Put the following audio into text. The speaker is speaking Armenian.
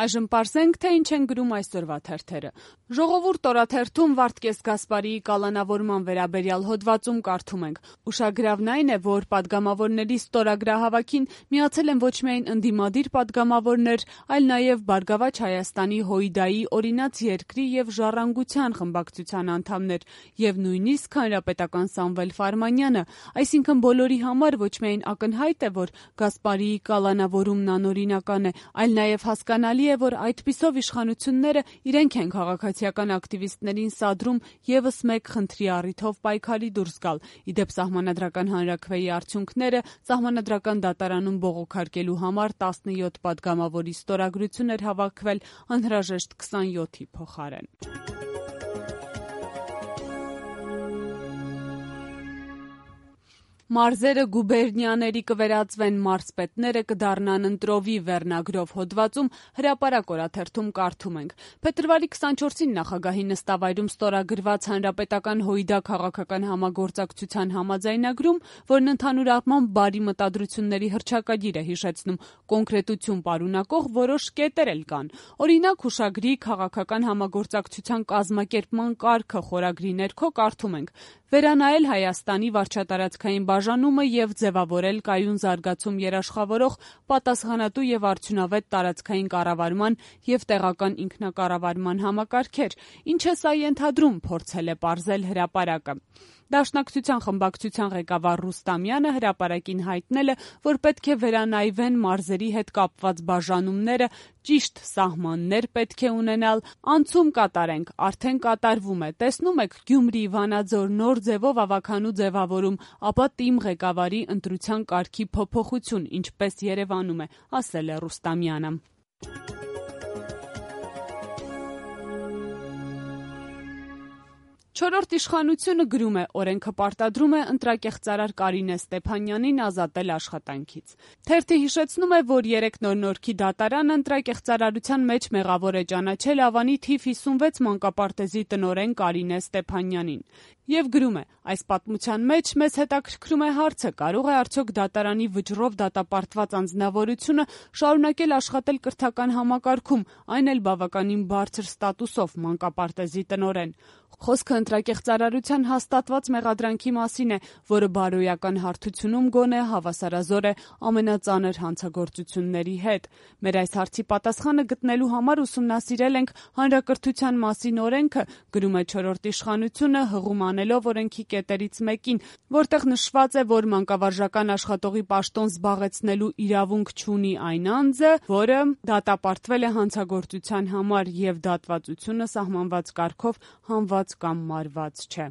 Այժմ պարզենք, թե ինչ են գրում այսօրվա թերթերը։ Ժողովուրդ օրաթերթում Վարդգես Գասպարիի կալանավորման վերաբերյալ հոդվածում կարդում ենք. ուշագրավն այն է, որ падգամավորների ստորագրահավաքին միացել են ոչ միայն ընդդիմադիր падգամավորներ, այլ նաև Բարգավաճ Հայաստանի ՀՅԴ-ի օրինաց երկրի և Ժառանգության խմբակցության անդամներ և նույնիսկ հանրապետական Սամվել Ֆարմանյանը, այսինքն բոլորի համար ոչ միայն ակնհայտ է, որ Գասպարիի կալանավորումն անօրինական է, այլ նաև հասկանալի է, որ այդպիսով իշխանությունները իրենք են քաղաքացիական ակտիվիստներին սադրում ևս մեկ խնդրի առիթով պայքարի դուրս գալ։ Իդեպ Սահմանադրական հանրաքվեի արդյունքները Սահմանադրական դատարանում բողոքարկելու համար 17 падգամավորի ստորագրություն էր հավաքվել անհրաժեշտ 27-ի փոխարեն։ Մարզերը գուբերնիաների կվերածվեն, մարզպետները կդառնան ընտրովի վերնագրով հոդվածում Հրապարակ օրաթերթում կարդում ենք. Փետրվարի 24-ին նախագահի նստավայրում ստորագրված հանրապետական ՀՅԴ քաղաքական համագործակցության համաձայնագրում, որն ընդհանուր առմամբ բարի մտադրությունների հռչակագիր է հիշեցնում, կոնկրետություն պարունակող որոշ կետեր էլ կան։ Օրինակ, հուշագրի քաղաքական համագործակցության կազմակերպման կարգը խորագրի ներքո կարդում ենք. վերանայել Հայաստանի վարչատարածքային բաժանումը և ձևավորել կայուն զարգացում երաշխավորող պատասխանատու և արդյունավետ տարածքային կառավարման և տեղական ինքնակառավարման համակարգեր, ինչը սա ենթադրում, փորձել է պարզել Հրապարակը։ Դաշնակցության խմբակցության ղեկավար Ռուստամյանը Հրապարակին հայտնել է, որ պետք է վերանայվեն մարզերի հետ կապված բաժանումները, ճիշտ սահմաններ պետք է ունենալ, անցում կատարենք, արդեն կատարվում է, տեսնում եք Գյումրի, Վանաձոր նոր ձևով ավագանու ձևավորում, ապա ՏԻՄ ղեկավարի ընտրության կարգի փոփոխություն, ինչպես Երևանում է, ասել է Ռուստամյանը։ Չորրորդ իշխանությունը գրում է, օրենքը պարտադրում է ընտրակեղծարար Կարինե Ստեփանյանին ազատել աշխատանքից։ Թերթը հիշեցնում է, որ 3 նոր-նորքի դատարանը ընտրակեղծարարության մեջ մեղավոր է ճանաչել Ավանի թիվ 56 մանկապարտեզի տնօրեն Կարինե Ստեփանյանին։ Եվ գրում է. այս պատմության մեջ մեզ հետաքրքրում է հարցը, կարող է արդյոք դատարանի վճռով դատապարտված անձնավորությունը շարունակել աշխատել կրթական համակարգում, այն էլ բավականին բարձր ստատուսով մանկապարտեզի տնօրեն։ Խոսքը ընտրակեղծարարության հաստատված մեղադրանքի մասին է, որը բարոյական հարթությունում գոնե հավասարազոր է ամենածանր հանցագործությունների հետ։ Մեր այս հարցի պատասխանը գտնելու համար ուսումնասիրել ենք հանրակրթության մասին օրենքը, գրում է չորրորդ իշխանությունը, հղում անելով օրենքի կետերից մեկին, որտեղ նշված է, որ մանկավարժական աշխատողի պաշտոն զբաղեցնելու իրավունք չունի այն անձը, որը դատապարտվել է հանցագործության համար և դատվածությունը սահմանված կարգով հանված կամ մարված չէ։